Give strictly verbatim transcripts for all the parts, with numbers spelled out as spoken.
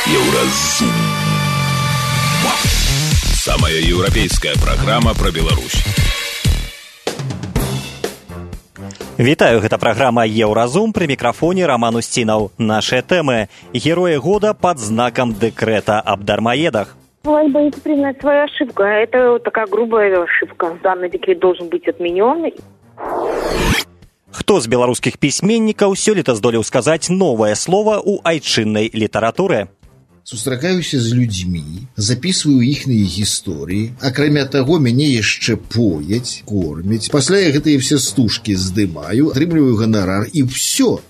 Еўразум. Самая еўрапейская праграма пра Беларусь. Вітаю, гэта праграма Еўразум, пры мікрафоне Роман Устинаў. Нашыя тэмы. Герои года под знаком декрета об дармоедах. Власть боится признать свою ошибку. Это такая грубая ошибка. Данный декрет должен быть отменен. Хто з беларускіх пісьменнікаў сёлета здолеў сказаць новае слова ў айчыннай літаратуры? Сустракаюся з людзьмі, записываю іхныя гісторыі, акрамя таго, мяне яшчэ пояць, кормяць. Пасля я гэтыя все стужкі здымаю, атрымліваю ганарар і ўсё.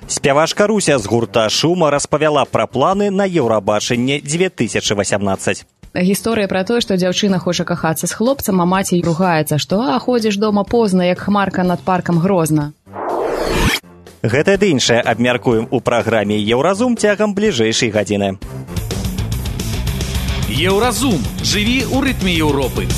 Спявачка Руся з гурта «Шума» распавяла пра планы на Еўрабачанне две тысячи восемнадцать. Гісторыя пра тое, што дзяўчына хоча кахацца з хлопцам, а маці ругаецца, што «а, ходзіш дома позна, як хмарка над паркам Грозна». Гэта ды іншае абмяркуем у праграме Еўразум цягам бліжэйшай гадзіны. Еўразум. Жыві ў рытме Еўропы.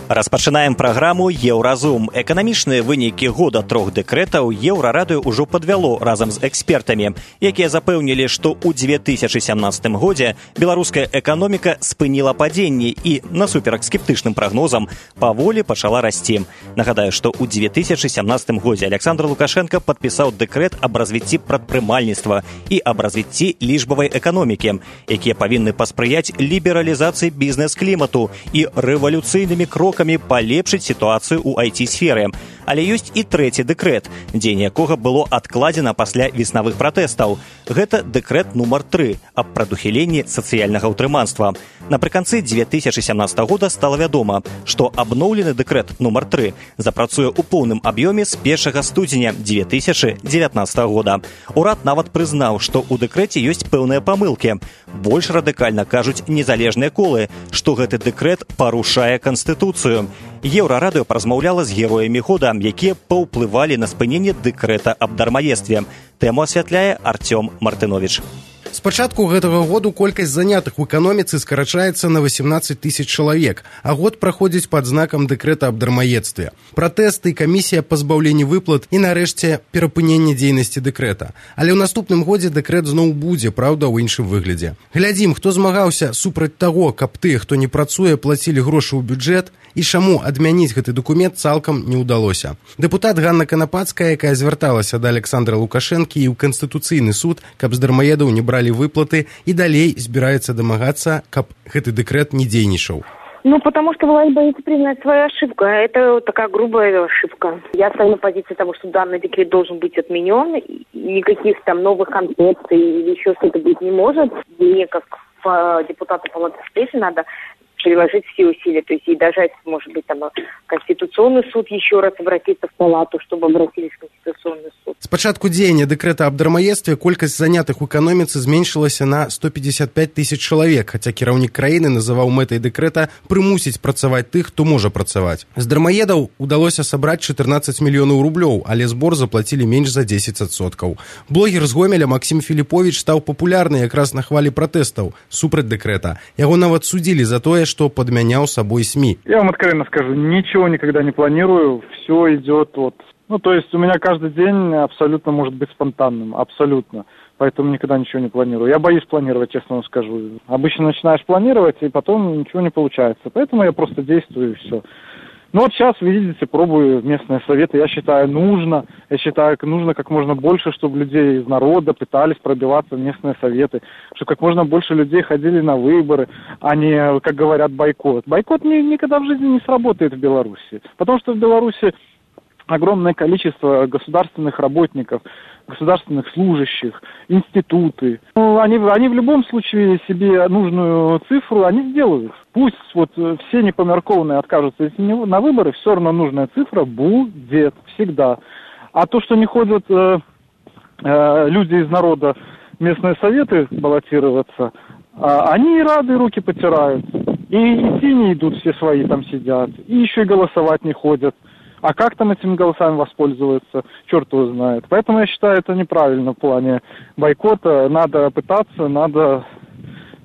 Распачынаем праграму Еўразум. Эканамічныя вынікі года трох дэкрэтаў Еўрарадыё ўжо падвяло разам з экспертамі, якія запэўнілі, што ў две тысячи семнадцатым годзе беларуская эканоміка спыніла падзенне і, насуперак скептычным прагнозам, паволі пачала расці. Нагадаю, што ў две тысячи семнадцатым годзе Александр Лукашенко падпісаў дэкрэт аб развіцці прадпрымальніцтва і аб развіцці лічбавай эканомікі, якія павінны паспрыяць лібералізацыі бізнес-клімату і рэвалюцыйнымі крокамі палепшыць сітуацыю ў ай ти-сферы. Але ёсць і трэці дэкрэт, дзень якога было адкладзена пасля веснавых пратэстаў. Гэта дэкрэт нумар тры аб прадухіленні сацыяльнага ўтрыманства. Напрыканцы две тысячи семнадцатого года стала вядома, што абноўлены дэкрэт нумар тры запрацуе ў поўным аб'ёме з першага студзеня две тысячи девятнадцатого года. Урад нават прызнаў, што ў дэкрэце ёсць пэўныя памылкі. Больш радыкальна кажуць незалежныя колы, што гэты дэкрэт парушае Канстытуцыю. Еўрарадыё паразмаўляла з героямі года, якія паўплывалі на спыненне дэкрэта аб дармаедстве. Тэму асвятляе Артём Мартынович. З пачатку гэтага году колькасць занятых у эканоміцы скарачаецца на восемнадцать тысяч чалавек, а год праходзіць пад знакам дэкрэта аб дармаедстве. Пратэсты, камісія пазбаўлення выплат і, нарэшце, перапыненне дзейнасці дэкрэта. Але ў наступным годзе дэкрэт зноў будзе, праўда, ў іншым выглядзе. Глядзім, хто змагаўся супраць таго, каб тыя, хто не працуе, плацілі грошы ў бюджэт, і чаму адмяніць гэты дакумент цалкам не ўдалося. Дэпутат Ганна Канапацкая, якая звярталася да Александра Лукашэнкі і ў Канстытуцыйны суд, каб з дармаедаў не бралі выплаты, і далей збіраецца дамагацца, каб гэты дэкрэт не дзейнічаў. Ну, потому что власть боится признать свою ошибку. Это такая грубая ошибка. Я стою на позиции того, что данный декрет должен быть отменен. Никаких там новых концепций или еще что-то быть не может. Мне, как депутату Палаты встречи, надо приложить все усилия, то есть и даже, может быть, там Конституционный суд еще раз обратиться в палату, чтобы обратились в Конституционный суд. С пачатку дзеяння дэкрэта аб дармаедстве колькасць занятых у эканоміцы зменшылася на сто пятьдесят пять тысяч чалавек, хаця кіраўнік краіны называў мэтай дэкрэта прымусіць працаваць тых, хто можа працаваць. З дармаедаў удалося сабраць чатырнаццаць мільёнаў рублёў, але збор заплацілі менш за дзесяць адсоткаў. Блогер з Гомеля Максім Філіповіч стаў папулярны якраз на хвалі пратэстаў супраць дэкрэта. Яго нават судзілі за тое, что подменял собой СМИ. Я вам откровенно скажу, ничего никогда не планирую, все идет вот. Ну, то есть у меня каждый день абсолютно может быть спонтанным, абсолютно. Поэтому никогда ничего не планирую. Я боюсь планировать, честно вам скажу. Обычно начинаешь планировать, и потом ничего не получается. Поэтому я просто действую, и все. Ну вот сейчас, видите, пробую местные советы. Я считаю, нужно, я считаю, нужно как можно больше, чтобы людей из народа пытались пробиваться в местные советы, чтобы как можно больше людей ходили на выборы, а не, как говорят, бойкот. Бойкот ни, никогда в жизни не сработает в Беларуси, потому что в Беларуси огромное количество государственных работников, государственных служащих, институты. Ну, они, они в любом случае себе нужную цифру, они сделают. Пусть вот все непомеркованные откажутся на выборы, все равно нужная цифра будет всегда. А то, что не ходят э, э, люди из народа в местные советы баллотироваться, э, они рады, руки потирают. И идти не идут, все свои там сидят. И еще и голосовать не ходят. А как там этими голосами воспользоваться, черт его знает. Поэтому я считаю, это неправильно в плане бойкота. Надо пытаться, надо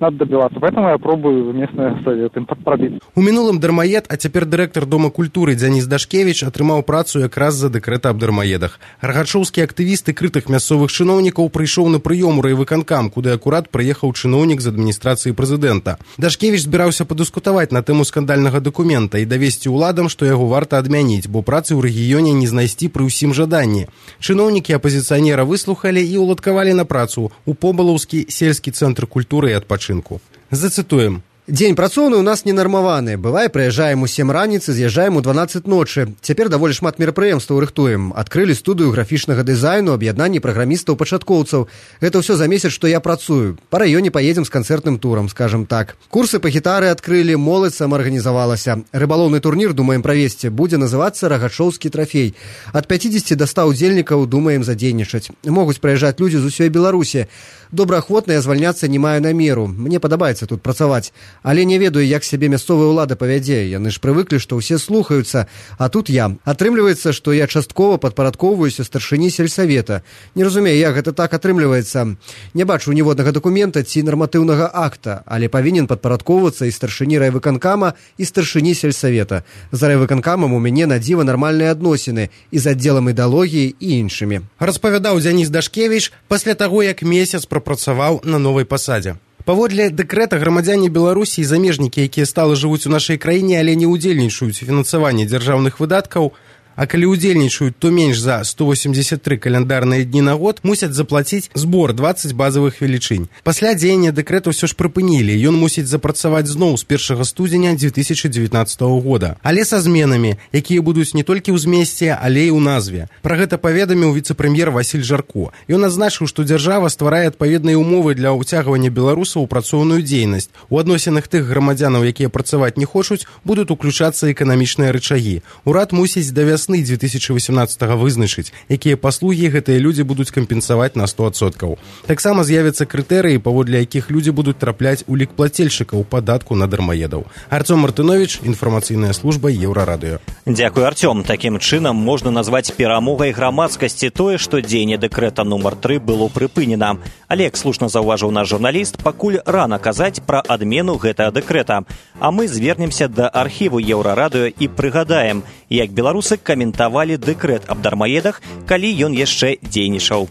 надо добиваться. Поэтому я пробую местные советы пробить. У мінулым дармаед, а цяпер дырэктар Дома культуры Дзяніс Дашкевіч атрымаў працу якраз за дэкрэт аб дармаедах. Гаргачоўскі актывіст і крытых мясцовых чыноўнікаў прыйшоў на прыём у райвыканкам, куды акурат прыехаў чыноўнік з адміністрацыі прэзідэнта. Дашкевіч збіраўся падыскутаваць на тэму скандальнага дакумента і давесці ўладам, што яго варта адмяніць, бо працы ў рэгіёне не знайсці пры ўсім жаданні. Чыноўнікі апазіцыянера выслухалі і уладкавалі на працу у Побалаўскі сельскі цэнтр культуры і адпачынку. Зацытуем. Дзень працоўны ў нас ненармаваны. Бывае, прыязджаем у сем раніцы, з'язджаем у дванаццаць ночы. Цяпер даволі шмат мерапрыемстваў рыхтуем. Адкрылі студыю графічнага дызайну, аб'яднанні праграмістаў-пачаткоўцаў. Гэта ўсё за месяц, што я працую. Па раёне паедзем з канцэртным турам, скажам так. Курсы па гітары адкрылі, моладзь самаарганізавалася. Рыбалоўны турнір думаем правесці. Будзе называцца «Рагачоўскі трафей». Ад пяцідзесяці да ста удзельнікаў думаем задзейнічаць. Могуць прыязджаць людзі з усёй Беларусі. Добраахвотна я звальняцца не маю намеру. Мне падабаецца тут працаваць. Але не ведаю, як сябе мясцовая ўлада павядзе. Яны ж прывыклі, што ўсе слухаюцца, а тут я. Атрымліваецца, што я часткова падпарадкоўваюся старшыні сельсавета. Не разумею, як гэта так атрымліваецца. Не бачу ніводнага дакумента ці нарматыўнага акта, але павінен падпарадкоўвацца і старшыні райвыканкама, і старшыні сельсавета. За райвыканкамам у мяне на дзіва нармальныя адносіны і з аддзелам ідэалогіі і іншымі. Распавядаў Дзяніс Дашкевіч пасля таго, як месяц прапрацаваў на новай пасадзе. Паводле дэкрэта грамадзяне Беларусі і замежнікі, якія стала жывуць у нашай краіне, але не ўдзельнічаюць у фінансаванні дзяржаўных выдаткаў, а калі ўдзельнічаюць, то менш за сто восемьдесят три каляндарныя дні на год, мусяць заплаціць збор двадцать базавых велічынь. Пасля дзеяння дэкрэта ўсё ж прыпынілі, ён мусіць запрацаваць зноў з першага студзеня две тысячи девятнадцатого года. Але са зменамі, якія будуць не толькі ў змесце, але і ў назве. Пра гэта паведаміў віцэ-прэм'ер Васіль Жарко. Ён адзначыў, што дзяржава стварае адпаведныя ўмовы для ўцягвання беларусаў у працоўную дзейнасць. У адносінах тых грамадзянаў, якія працаваць не хочуць, будуць уключацца эканамічныя рычагі. Урад мусіць да вясны две тысячи восемнадцатого вызначыць, якія паслугі гэтыя людзі будуць кампенсаваць на сто адсоткаў. Таксама з'явяцца крытэрыі, паводле якіх людзі будуць трапляць у лік плацельшчыкаў падатку на дармаедаў. Артём Мартынович, інфармацыйная служба Еўрарадыё. Дзякуй, Артём. Такім чынам можна назваць перамогай грамадскасці тое, што дзеянне дэкрэта нумар тры было прыпынена. Але, як слушна заўважыў наш журналіст, пакуль рана казаць пра адмену гэтага дэкрэта. А мы звернемся да архіву Еўрарадыё і прыгадаем, як беларусы каментавалі дэкрэт аб дармаедах, калі ён яшчэ дзейнічаў.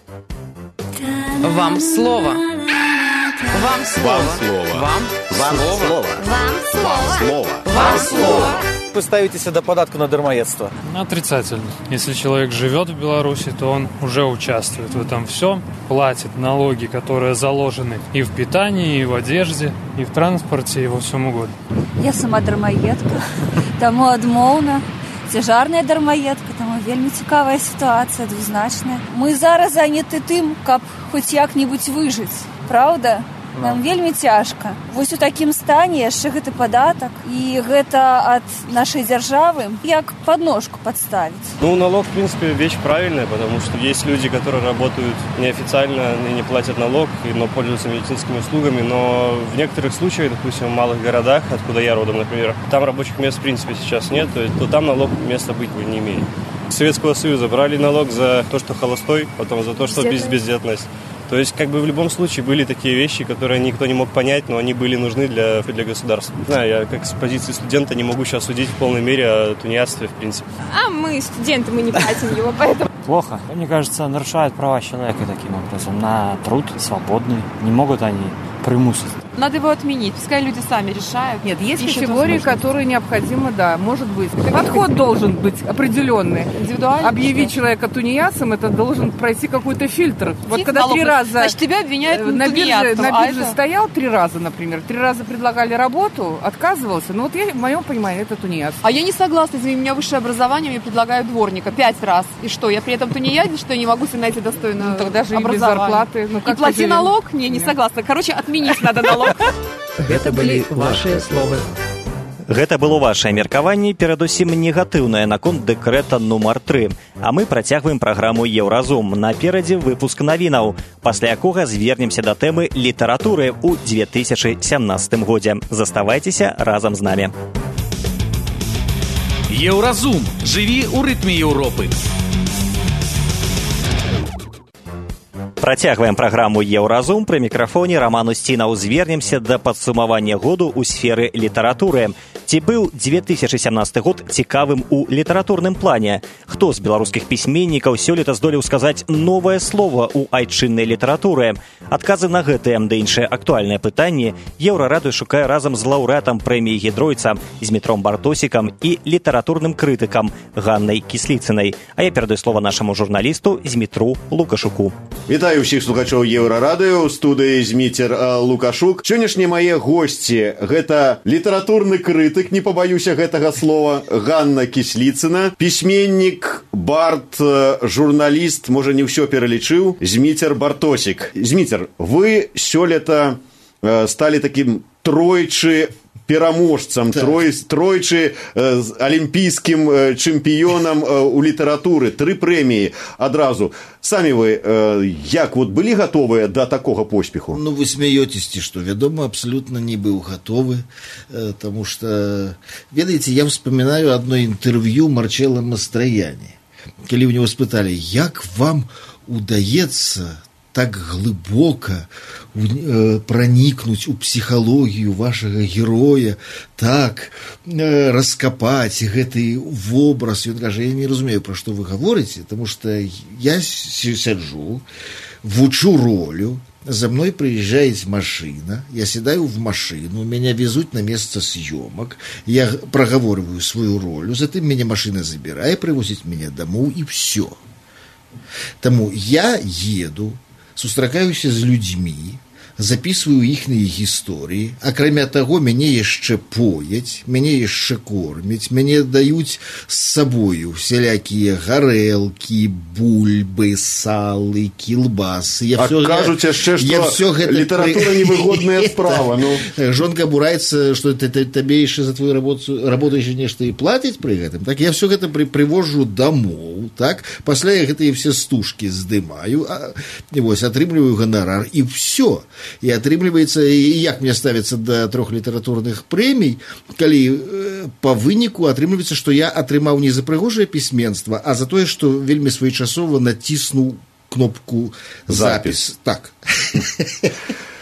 Вам слова. Вам слова. Вам слова. Вам слова. Вам слова. Вам слова. Вы ставитесь до податку на дармоедство? Отрицательно. Если человек живет в Беларуси, то он уже участвует в этом всем, платит налоги, которые заложены и в питании, и в одежде, и в транспорте, и во всем угодно. Я сама дармаедка, тому адмоўна. Цяжарная дармаедка, там вельмі цікавая сітуацыя, двузначная. Мы зараз заняты тым, каб хоць як-небудзь выжыць, правда? Нам вельмі цяжка. Вось у такім стане яшчэ гэты падатак, і гэта ад нашай дзяржавы як подножку подставить. Ну, налог, в принципе, вещь правильная, потому что есть люди, которые работают неофициально и не платят налог, но пользуются медицинскими услугами, но в некоторых случаях, допустим, в малых городах, откуда я родом, например, там рабочих мест, в принципе, сейчас нет, то, то там налог места быть не имеет. С Советского Союза брали налог за то, что холостой, потом за то, что без, бездетность. То есть, как бы в любом случае были такие вещи, которые никто не мог понять, но они были нужны для, для государства. Не знаю, я как с позиции студента не могу сейчас судить в полной мере о тунеядстве, в принципе. А мы студенты, мы не платим его, поэтому... Плохо. Мне кажется, нарушают права человека таким образом на труд свободный. Не могут они примусить. Надо его отменить, пускай люди сами решают. Нет, есть категории, которые необходимы, да, может быть. Подход должен быть определенный. Индивидуальный. Объявить человека тунеядцем, это должен пройти какой-то фильтр. Тихо, вот когда три раза... Значит, тебя обвиняют на бирже, на а бирже это... стоял три раза, например, три раза предлагали работу, отказывался. Ну вот я, в моем понимании, это тунеядство. А я не согласна, извини, у меня высшее образование, мне предлагают дворника пять раз. И что, я при этом тунеядец, что я не могу себе найти достойное ну, тогда же образование? И без зарплаты. Ну, и плати живем? Налог? Не, не согласна. Короче, отменить надо налог. Гэта былі вашыя словы. Гэта было вашае меркаванне, перадусім негатыўнае наконт дэкрэта нумар тры. А мы працягваем праграму Еўразум. Наперадзе выпуск навінаў, пасля якога звернемся да тэмы літаратуры ў две тысячи сямнадцатым годзе. Заставайцеся разам з намі. Еўразум. Жыві ў рытме Еўропы. Працягваем праграму «Еўразум». Пры мікрафоне Роман Устінаў. Звернемся да падсумавання году ў сферы літаратуры. Ці быў две тысячы сямнасты год цікавым у літаратурным плане? Хто з беларускіх пісьменнікаў сёлета здолеў сказаць новае слова ў айчыннай літаратуры? Адказы на гэтыя да іншыя актуальныя пытанні Еўрарадыё шукае разам з лаўрэатам прэміі Гідройца Змітром Бартосікам і літаратурным крытыкам Ганнай Кісліцынай. А я перадаю слова нашаму журналісту Змітру Лукашуку. Вітаю ўсіх слухачоў Еўрарадыё, у студыі Зміцер Лукашук. Сённяшнія мае госці – гэта літаратурны крытык, не пабаюся гэтага слова, Ганна Кісліцына, пісьменнік, бард, журналіст, можа не ўсё пералічыў, Зміцер Бартосік. Зміцер, вы сёлета сталі такім тройчы пераможцам, так. трой, тройчы э, алімпійскім э, чэмпіёнам э, у літаратуры, тры прэміі адразу. Самі вы э, як вот былі гатовыя да такога поспеху? Ну, вы смеетесь, что, вядома, абсолютно не был готовы, э, потому что, ведаете, я вспоминаю одно интервью Марчелло Мастрояни, когда у него спытали, як вам удаецца так глыбока э, проникнуть у психологию вашего героя, так э, раскопать гэты вобраз. И он говорит, я не разумею, про что вы говорите, потому что я сяджу, вучу ролю, за мной приезжает машина, я седаю в машину, меня везут на место съемок, я проговариваю свою роль, затем меня машина забирает, привозит меня домой, и все. Тому я еду, сустракаюся з людзьмі, записываю іхныя гісторыі, акрамя таго, мяне яшчэ пояць, мяне яшчэ кормяць, мяне даюць з сабою всялякія гарэлкі, бульбы, салы, кілбасы. Я а всё, кажуць яшчэ, што літаратура при... невыгодная справа. Ну. Жонка бураецца, што табе яшчэ за твою работу, работу яшчэ нешта і плаціць пры гэтым. Так я все гэта при, привожу домоў, так? Пасля я гэтыя все стужкі здымаю, а, і вось, атрымліваю ганарар, і все. И атрымліваецца, і як мне ставіцца да трох літаратурных прэмій, калі э, па выніку атрымліваецца, што я атрымаў не за прыгожае пісьменства, а за тое, што вельмі своечасова націснуў кнопку запіс. Так.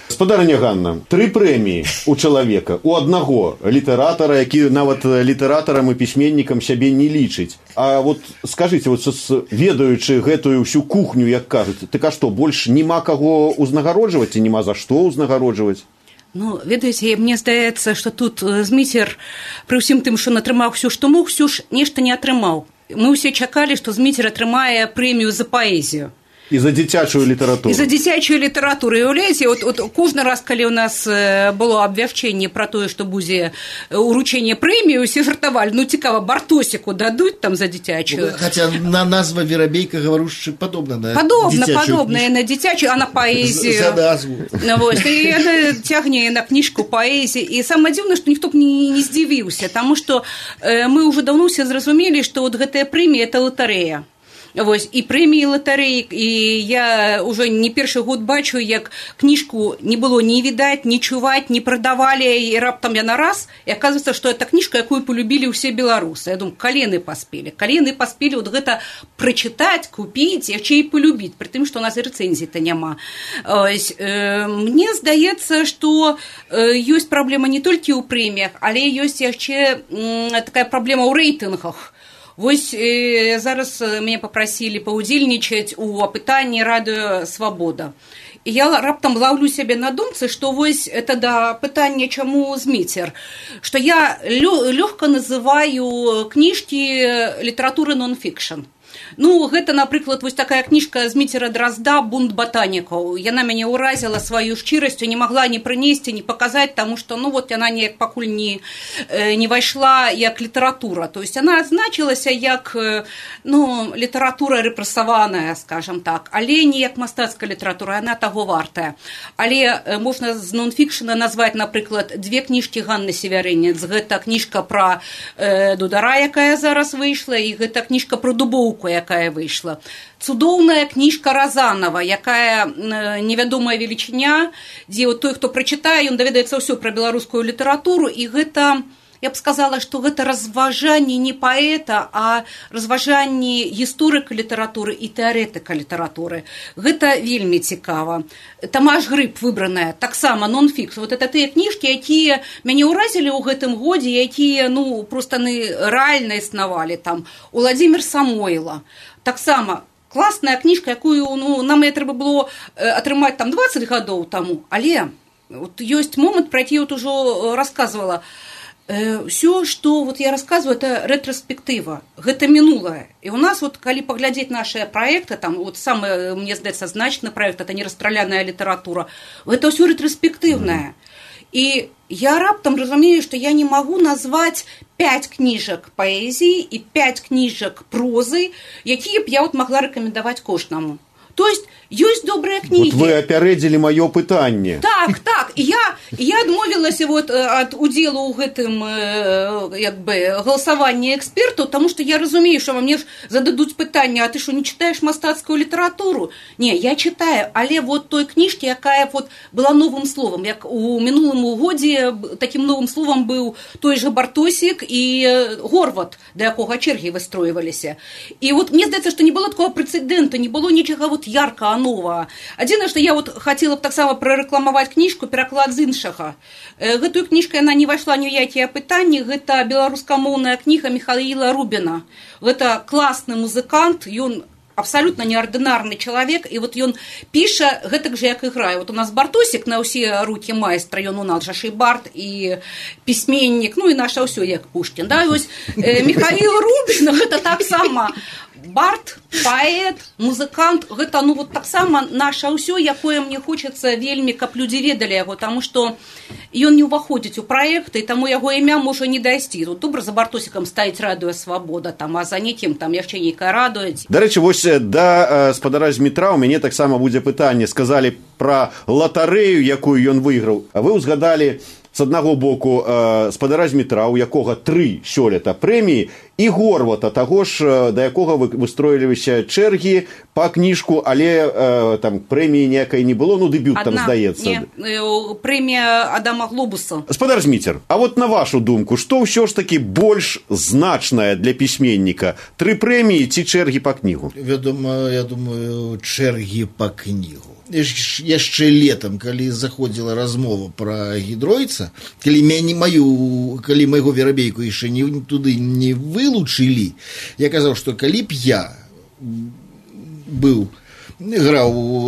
Спадарыня Ганна, тры прэміі у чалавека, у аднаго літаратара, які нават літаратарам і пісьменнікам сябе не лічыць. А вот скажыце, вот, ведаючы гэтую всю кухню, як кажуць, так а што, больш няма каго ўзнагароджваць і няма за што ўзнагароджваць? Ну, ведаеце, мне здаецца, што тут Зміцер, пры ўсім тым, што атрымаў ўсё, што мог, ўсё ж нешта не атрымаў. Мы ўсе чакалі, што Зміцер атрымае прэмію за паэзію. І за дзіцячую літаратуру. І за дзіцячую літаратуру. І уявляеце, от, от кожны раз, калі ў нас было абвяшчэнне пра тое, што будзе уручэнне прэміі, усе жартавалі, ну цікава, Бартосіку дадуць там за дзіцячую. Хаця на назва Верабейка гаварушчы падобна на падобна, падобная на дзіцячую, а на паэзію. За назву. Вось, і яна цягне на кніжку паэзіі. І самае дзіўнае, што ніхто б не, не здзівіўся, таму што э, мы ўжо даўно ўсе зразумелі, што вот гэтая прэмія – это латарэя. Вось, і прэміі латарэі, і я ўжо не першы год бачу, як кніжку не было ні відаць, ні чуваць, не прадавалі, і раптам яна раз, і аказваецца, што это кніжка, якую полюбілі ўсе беларусы. Я думаю, калены паспелі. Калены паспелі вот гэта прачытаць, купіць, яшчэ і полюбіць, пры тым, што у нас і рэцэнзій-то няма. Ось, э, мне здаецца, што э, ёсць праблема не толькі ў прэміях, але ёсць яшчэ э, такая праблема ў рэйтынгах. Вось э, зараз мяне папрасілі паўдзельнічаць у апытанні радыё «Свабода». І я раптам лаўлю сябе на думцы, што вось это да пытання, чаму Зміцер, што я лёгка называю кніжкі літаратуры нон-фікшн. Ну, гэта, напрыклад, вось такая кніжка Зміцера Дразда «Бунт батанікаў». Яна мяне ўразіла сваю шчырасцю, не магла ні прынесці, ні паказаць, таму што, ну, вот яна неяк пакуль не, не вайшла як літаратура. То есть яна адзначылася як, ну, літаратура рэпрэсаваная, скажам так, але не як мастацкая літаратура, яна таго вартая. Але можна з нон-фікшна назваць, напрыклад, две кніжкі Ганны Севярынец. Гэта кніжка пра э, Дудара, якая зараз выйшла, і гэта кніжка пра Дубоўку, якая выйшла. Цудоўная кніжка Разанова, якая невядомая велічыня, дзе той, хто прачытае, ён даведаецца ўсё пра беларускую літаратуру, і гэта я б сказала, што гэта разважанне не паэта, а разважанне гісторыка літаратуры і тэарэтыка літаратуры. Гэта вельмі цікава. Тамаш Грыб выбраная, таксама нон-фікс. Вот это тыя кніжкі, якія мяне ўразілі ў гэтым годзе, якія, ну, проста рэальна існавалі. Там Уладзімір Самойла. Таксама класная кніжка, якую, ну, нам я трэба было атрымаць там дваццаць гадоў таму, але вот ёсць момант, про які я вот ужо рассказывала. Все, что вот я рассказываю, это ретроспектива, это минулое. И у нас вот, коли поглядеть наши проекты, там вот самый, мне здаецца, значный проект, это «Нерастраляная литература», это все ретроспективное. И я раптом разумею, что я не могу назвать пять книжек поэзии и пять книжек прозы, якія б я вот могла рекомендовать кожнаму. То есть ёсць добрыя кнігі. Вот вы апярэдзілі маё пытанне. Так, так. І я, я адмовілася вот ад удзелу ў гэтым як бы галасаванні экспертаў, таму што я разумею, што мне ж зададуць пытанне: а ты што, не чытаеш мастацкую літаратуру? Не, я чытаю, але вот той кніжкі, якая вот была новым словам, як у мінулым годзе такім новым словам быў той жа Бартосік і Горват, да якога чэргі выстройваліся. І вот мне здаецца, што не было такого прэцэдэнта, не было нічага вот яркага нового. Адзінае, што я вот хацела б таксама прарэкламаваць кніжку «Пераклад з іншага». Гэтую кніжку яна не вайшла ні ў якія пытанні, гэта беларускамоўная кніга Міхаіла Рубіна. Гэта класны музыкант, ён абсолютно неординарный человек, и вот ён піша гэтак же, як іграе. Вот у нас Бартосік на ўсе рукі майстра, ён у нас жа шейбард і пісьменнік, ну і наша ўсё як Пушкін. Да? І ось э, Міхаіл Рубін, гэта таксама бард, паэт, музыкант, гэта ну вот таксама наша ўсё, якое мне хочацца вельмі, каб людзі ведалі яго, таму што ён не ўваходзіць у праекты, і таму яго імя можа не дайсці. Тут добра за Бартосікам стаіць радыё «Свабода», там, а за некім там яшчэ нейкая радуець. Дарэчы, вось да спадара Змітра у мяне таксама будзе пытанне. Сказалі пра латарэю, якую ён выйграў. А вы ўзгадалі з аднаго боку спадара Змітра, у якога тры сёлета прэміі, і Горвата, таго ж, да якога выстроіліся чэргі па кніжку, але э, там прэміі ніякай не было, ну дэбют там, здаецца. Не, прэмія Адама Глобуса. Спадар Зміцер, а вот на вашу думку, што ўсё ж такі больш значнае для пісьменніка? Тры прэміі ці чэргі па кнігу? Вядома, я думаю, чэргі па кнігу. Яшчэ летом, калі заходзіла размова пра Гідройца, калі мяне маю, калі майго верабейку яшчэ не, туды не вылучылі, я казаў, што калі б я быў, граў у,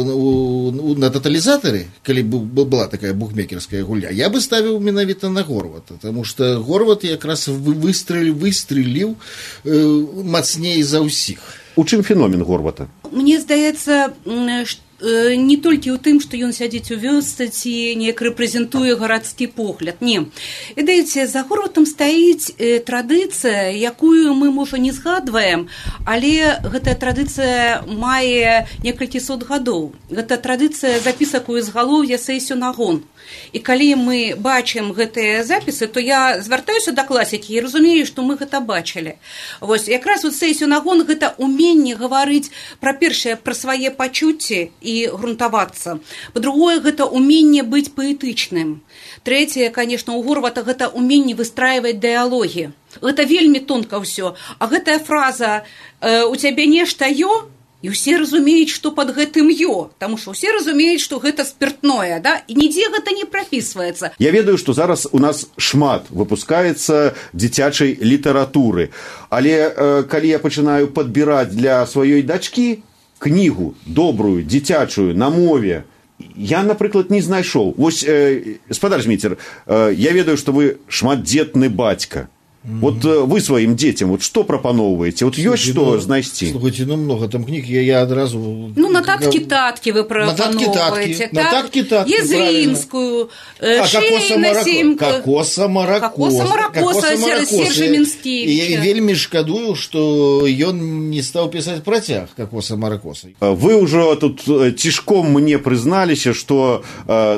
у, на таталізатары, калі б была такая букмекерская гульня, я бы ставіў менавіта на Горвата, таму што Горват якраз выстреліў, выстреліў э, мацней за ўсіх. У чым феномен Горвата? Мне здаецца, што не толькі ў тым, што ён сядзіць у вёсцы ці неяк рэпрэзентуе гарадскі погляд. Не. Ведаеце, за Горватам стаіць э, традыцыя, якую мы, можа, не згадваем, але гэтая традыцыя мае некалькі сот гадоў. Гэта традыцыя запісак у ізгалоўя Сейсюнагон. І калі мы бачым гэтыя запісы, то я звяртаюся да класікі і разумею, што мы гэта бачылі. Вось, якраз вот Сейсюнагон — гэта уменне гаварыць пра першае, пра свае пачуцці і грунтавацца. Па-другое, гэта уменне быць паэтычным. Трэцяе, конечно, у Горвата гэта уменне выстраиваць дыялогі. Гэта вельмі тонка ўсё. А гэтая фраза «у цябе нешта ё», і ўсе разумеюць, што пад гэтым ё, таму што ўсе разумеюць, што гэта спиртное, да? І нідзе гэта не прапісваецца. Я ведаю, што зараз у нас шмат выпускаецца дзіцячай літаратуры, але э, калі я пачынаю падбіраць для сваёй дачкі кнігу добрую, дзіцячую, на мове, я, напрыклад, не знайшоў. Вось, э, спадар Зміцер, э, я ведаю, што вы шматдзетны бацька. Mm-hmm. Вот э, вы своим детям вот что пропановываете? Вот есть что ну, знайсці? Слушайте, ну много там книг, я, я одразу... Ну, нотатки-татки вы пропановываете. Нотатки-татки, Езринскую, а, Шейна, Кокоса-Маракоса. Кокоса-Маракоса, Сержа Минскевича. Я вельми шкадую, что он не стал писать протяг Кокоса-Маракоса. Вы уже тут тишком мне признались, что,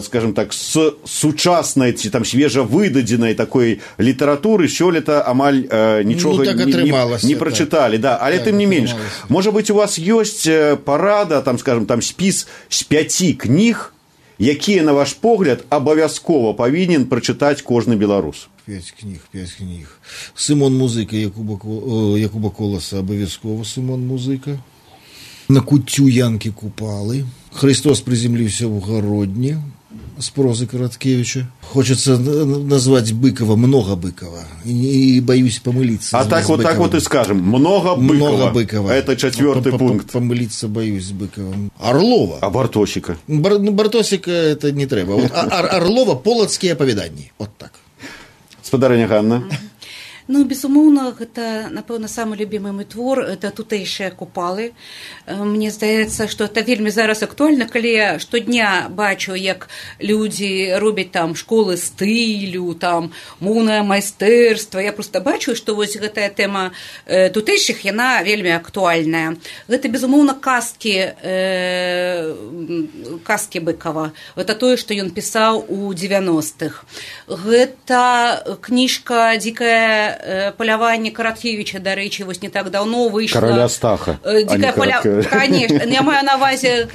скажем так, с сучасной, там, свежевыдаденной такой литературы сёлета амаль э, нічога ну, так не, не, не прочитали, да, але так, тым не менш. Может быть, у вас есть парада, там, скажем, там спіс з пяці кніг, якія, на ваш погляд, абавязкова павінен прачытаць кожны беларус? пять кніг, пять кніг. Сымон Музыка Якуба, Якуба Коласа, абавязкова Сымон Музыка. На куццю Янкі Купалы. Христос приземлился в Городне с прозы Короткевича. Хочется назвать Быкова, много Быкова. И, и боюсь помылиться. А так вот, Быковым. Так вот и скажем, много Быкова. Много Быкова. Это четвертый пункт. Помылиться боюсь с Быковым. Орлова. А Бартосика? Бар, Бартосика это не треба. Вот, а, Орлова полоцкие оповедания. Вот так. Спадарыня Ганна. Ну, безумоўна, гэта, напэўна, самы любімы мой твор, это тутэйшыя купалы. Мне здаецца, што это вельмі зараз актуальна, калі я штодня бачу, як людзі робяць там школы стылю, там моўнае майстэрства. Я проста бачу, што вось гэтая тэма тутэйшых, яна вельмі актуальная. Гэта, безумоўна, казкі, э, казкі Быкова. Гэта тое, што ён пісаў у дзевяностых. Гэта кніжка «Дзікая поляванне Караткевича, дарэчы, вось не так давно выйшла. Караля Стаха. Дзікае поля... Конечно, я маю на увазе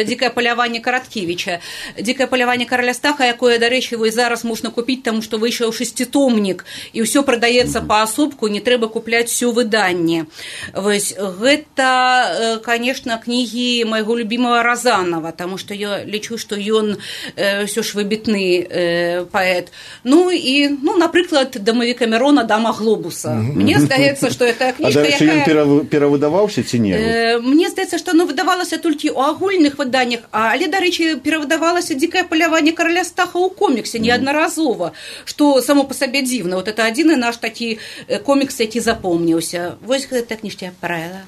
дзікае поляванне Караткевича. Дзікае поляванне Караля Стаха, якое, дарэчы, вось зараз можна купіць, таму што выйшаў шеститомнік, і ўсё прадаецца паасобку, не трэба купляць всё выданне. Вось гэта, конечно, кнігі майго любімага Разанова, таму што я лічу, што ён ўсё ж выбітны паэт. Ну і, ну, напрыклад, дамавік Камерона «Дама глобуса». Mm-hmm. Мне здаецца, што гэта кніжка, якая... А дарэчы, ён перавыдаваўся ці не? Э, мне здаецца, што оно выдавалася толькі ў агульных выданнях, але, дарэчы, перавыдавалася «Дзікае поляванне Караля Стаха» ў коміксе неаднаразова, што само па сабе дзіўна. Вот это адзіны наш такі комікс, які запомніўся. Вось гэта кніжка я параіла.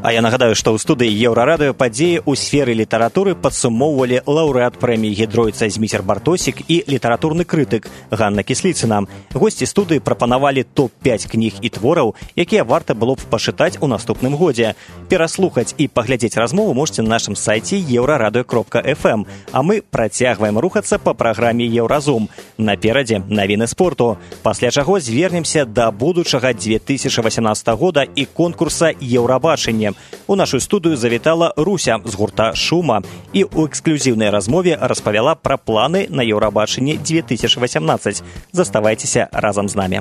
А я нагадаю, што ў студыі Еўрарадыё падзеі ў сферы літаратуры падсумоўвалі лаўрэат прэміі Гідройца Зміцер Бартосік і літаратурны крытык Ганна Кісліцына. Госці студыі прапанавалі топ пяць кніг і твораў, якія варта было б пашытаць у наступным годзе. Пераслухаць і паглядзець размову можете на нашым сайце еўрарадыё кропка эф эм. А мы працягваем рухацца па праграме Еўразум. Наперадзе навіны спорту. Пасля чаго звернемся да будучага две тысячи восемнадцатого года і конкурса Еўрабачання. У нашу студыю завітала Руся з гурта «Шума» і ў эксклюзіўнай размове распавяла пра планы на Еўрабачанне две тысячи восемнадцать. Заставайцеся разам з намі.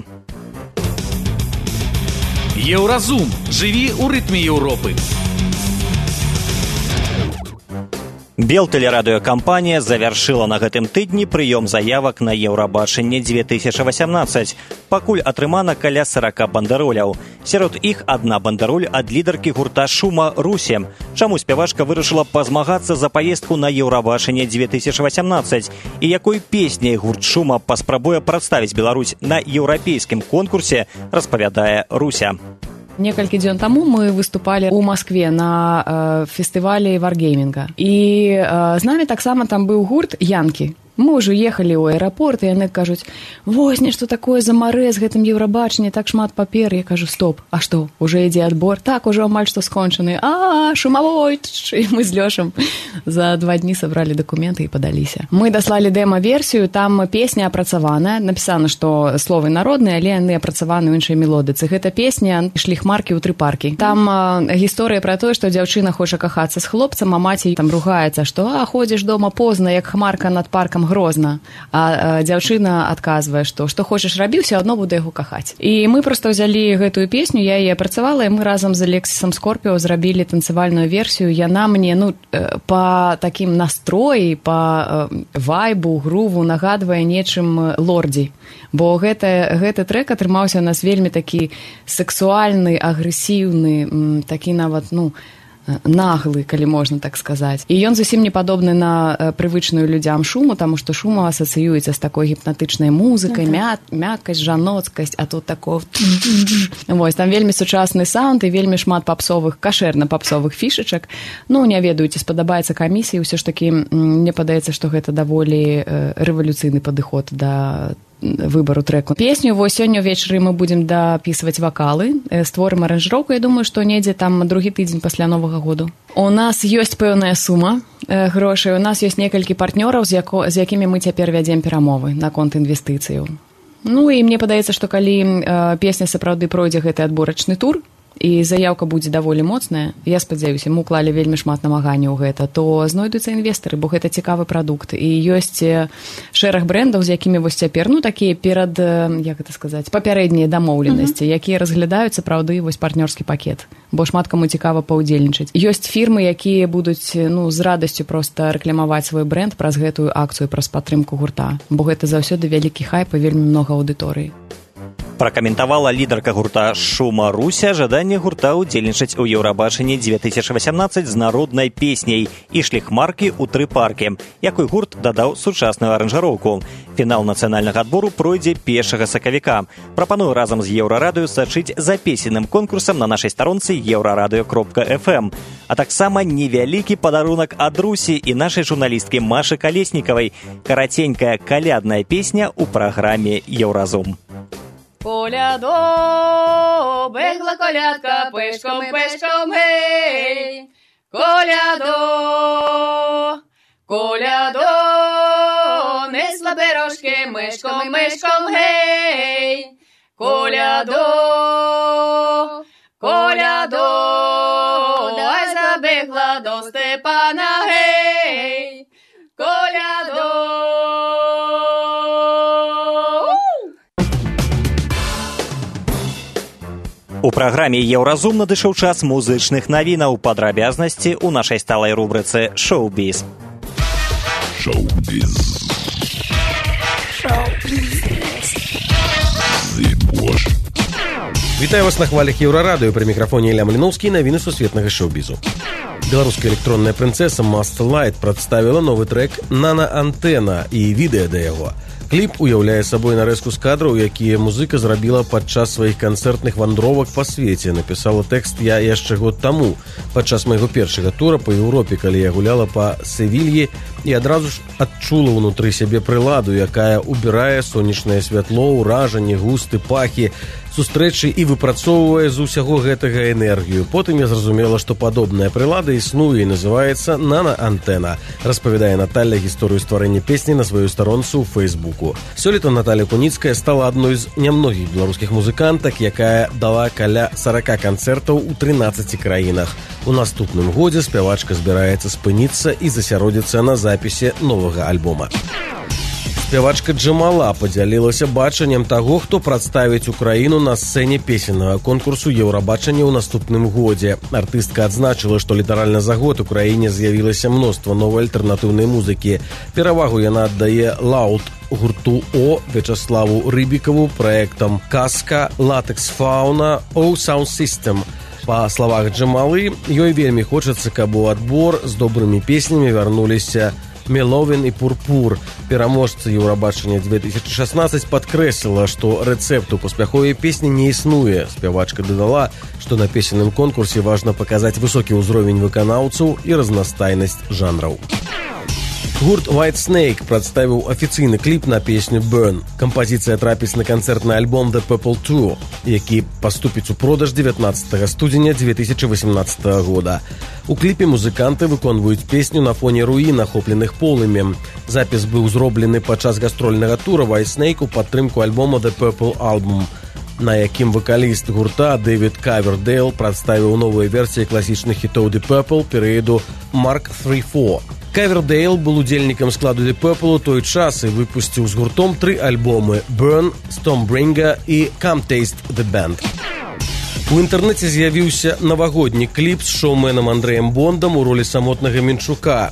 Еўразум. Жыві ў рытме Еўропы. Белтэлерадыёкампанія завяршыла на гэтым тыдні прыём заявак на Еўрабачанне две тысячи восемнадцать. Пакуль атрымана каля сорок бандэроляў. Сярод іх адна бандэроль ад лідаркі гурта «Шума» Русі. Чаму спявачка вырашыла пазмагацца за паездку на Еўрабачанне две тысячи восемнадцать? І якой песняй гурт «Шума» паспрабуе прадставіць Беларусь на еўрапейскім конкурсе, распавядае Руся. Некалькі дзён таму мы выступалі ў Маскве на э, фестывалі варгеймінга. І э, з намі таксама там быў гурт «Янкі». Мы ўжо ехалі ў аэрапорт, і яны кажуць: «Вось нешта такое за марэ з гэтым Еўрабачанне, так шмат папер». Я кажу: «Стоп, а што, уже ідзе адбор?» «Так, ужо амаль што скончаны». «А, шумавой!» І мы з Лёшам за два дні сабралі дакументы і падаліся. Мы даслалі дэма-версію, там песня апрацаваная, напісана, што словы народныя, але яны апрацаваны ў іншай мелодыцы. Гэта песня «Шліхмаркі ў тры паркі». Там а, гісторыя пра тое, што дзяўчына хоча кахацца з хлопцам, а маці там ругаецца, што «А, ходзіш дома позна, як хмарка над паркам грозна». А, а дзяўчына адказвае, што што хочаш рабі, ўсё адно буду яго кахаць. І мы проста ўзялі гэтую песню, я яе апрацавала, і мы разам з Алексісам Скорпіо зрабілі танцевальную версію. Яна мне, ну, па такім настроі, па вайбу, груву нагадвае нечым «Лордзі». Бо гэта, гэты трэк атрымаўся у нас вельмі такі сексуальны, агрэсіўны, такі нават, ну, наглы, калі можна так сказаць. І ён зусім не падобны на прывычную людзям Шуму, таму што Шума асацыюецца з такой гіпнатычнай музыкай, мя... мяккасць, жаноцкасць, а тут такое... Вось, там вельмі сучасны саунд і вельмі шмат папсовых, кашэрна-папсовых фішачак. Ну, не ведаю, ці спадабаецца камісіі, ўсё ж такі, мне падаецца, што гэта даволі рэвалюцыйны падыход да выбару трэку. Песню вось сёння ўвечары мы будзем дапісваць вакалы, створым аранжыроўку, я думаю, што недзе там другі тыдзень пасля Новага году. У нас ёсць пэўная сума грошай, у нас ёсць некалькі партнёраў, з, яко, з якімі мы цяпер вядзем перамовы наконт інвестыцыяў. Ну і мне падаецца, што калі э, песня сапраўды пройдзе гэты адборачны тур, і заяўка будзе даволі моцная, я спадзяюся, мы уклалі вельмі шмат намаганняў ў гэта, то знойдуцца інвестары, бо гэта цікавы прадукт. І ёсць шэраг брэндаў, з якімі вось цяпер, ну, такія перад, як гэта сказаць, папярэднія дамоўленасці, mm-hmm. якія разглядаюць сапраўды вось партнёрскі пакет, бо шмат каму цікава паўдзельнічаць. Ёсць фірмы, якія будуць, ну, з радасцю проста рэкламаваць свой брэнд праз гэтую акцыю, праз падтрымку гурта, бо гэта заўсёды вялікі хайп і вельмі многа аўдыторыі. Пракаментавала лідарка гурта «Шума Руся» жаданне гурта ўдзельнічаць у Еўрабачанні две тысячи восемнадцать з народнай песняй і шліхмаркі ў тры паркі, якой гурт дадаў сучасную аранжыроўку. Фінал нацыянальнага адбору пройдзе першага сакавіка. Прапаную разам з Еўрарадыё сачыць за песенным конкурсам на нашай старонцы еўрарадыё кропка эф эм. А таксама невялікі падарунак ад Русі і нашай журналісткі Машы Калеснікавай. Караценькая калядная песня ў праграме «Еўразум». Колядо, бегла колядка, пешком, пешком, гей. Колядо, колядо, несла пирожки, мишком, мишком, гей. Колядо, колядо, дай забегла до Степана, гей. Колядо. У праграме «Еўразум» надышоў час музычных навінаў, падрабязнасці ў нашай сталай рубрыцы «Шоу-біз». Шоу-біз. Шоу-біз. Вітаю вас на хвалях Еўрарадыё, пры мікрафоне Ілля Маліноўскі, навіны сусветнага шоу-бізу. Беларуская электронная прынцэса Master Light прадставіла новы трэк «Нана-антэна» і відэа да яго. Кліп уяўляе сабой нарэзку з кадраў, якія музыка зрабіла падчас сваіх канцэртных вандровак па свеце. Напісала тэкст я яшчэ год таму, падчас майго першага тура па Еўропе, калі я гуляла па Севільі і адразу ж адчула ўнутры сябе прыладу, якая убірае сонечнае святло, ўражанні, густы, пахі, сустрэчы і выпрацоўвае з усяго гэтага энергію. Потым я зразумела, што падобная прылада існуе і называецца «Нана-антэна», распавядае Наталья гісторыю стварэння песні на сваёй старонцы ў Фейсбуку. Сёлета Наталья Куніцкая стала адной з нямногіх беларускіх музыкантак, якая дала каля сорок канцэртаў у трынаццаці краінах. У наступным годзе спявачка збіраецца спыніцца і засяродзіцца на запісе новага альбома. Спявачка Джамала падзялілася бачаннем таго, хто прадставіць Украіну на сцэне песеннага конкурсу Еўрабачання ў наступным годзе. Артыстка адзначыла, што літаральна за год у краіне з'явілася мноства новай альтэрнатыўнай музыкі. Перавагу яна аддае лаут гурту О, Вячаславу Рыбікаву, праектам «Казка», «Латекс Фауна», «О Sound System». Па словах Джамалы, ёй вельмі хочацца, каб у адбор з добрымі песнямі вярнуліся Меловін і Пурпур. Пераможца Еўрабачання две тысячи шестнадцать падкрэсліла, што рэцэпту паспяховай песні не існуе. Спявачка дадала, што на песенным конкурсе важна паказаць высокі ўзровень выканаўцаў і разнастайнасць жанраў. Гурт White Snake прадставіў афіцыйны кліп на песню «Burn». Кампазіцыя трапіць на канцэртны альбом «The Purple Tour», які паступіць у продаж дзевятнаццатага студзеня две тысячи восемнадцатага года. У кліпе музыканты выконваюць песню на фоне руін, ахопленых полымем. Запіс быў зроблены падчас гастрольнага тура White Snake у падтрымку альбома «The Purple Album», на якім вакаліст гурта Дэвід Кавердейл прадставіў новыя версіі класічных хітоў The Purple перыяду Марк три фор. Кавердейл был удзельнікам складу The Purple у той час і выпусціў з гуртом тры альбомы «Burn», «Stormbringer» і «Come Taste the Band». У інтэрнэце з'явіўся навагодні кліп з шоуменам Андрэем Бондам у ролі самотнага Менчука,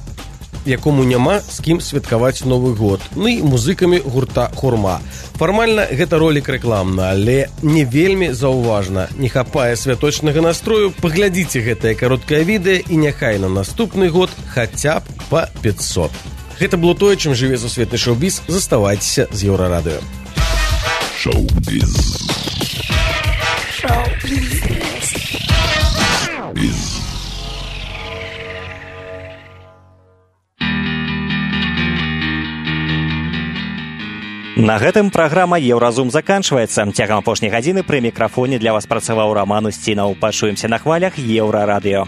якому няма з кім святкаваць Новы год, ну і музыкамі гурта «Хурма». Фармальна гэта ролік рэкламна, але не вельмі заўважна. Не хапае святочнага настрою, паглядзіце гэтае кароткае відэа і няхай на наступны год хаця б па пятьсот. Гэта было тое, чым жыве сусветны шоу-біз. Заставайцеся з Еўрарадыё. Шоу-біз. Шоу-біз. На гэтым праграма «Еўразум» заканчваецца. Цягам апошняй гадзіны пры мікрафоне для вас працаваў Раман Усцінаў. Пачуемся на хвалях Еўрарадыё.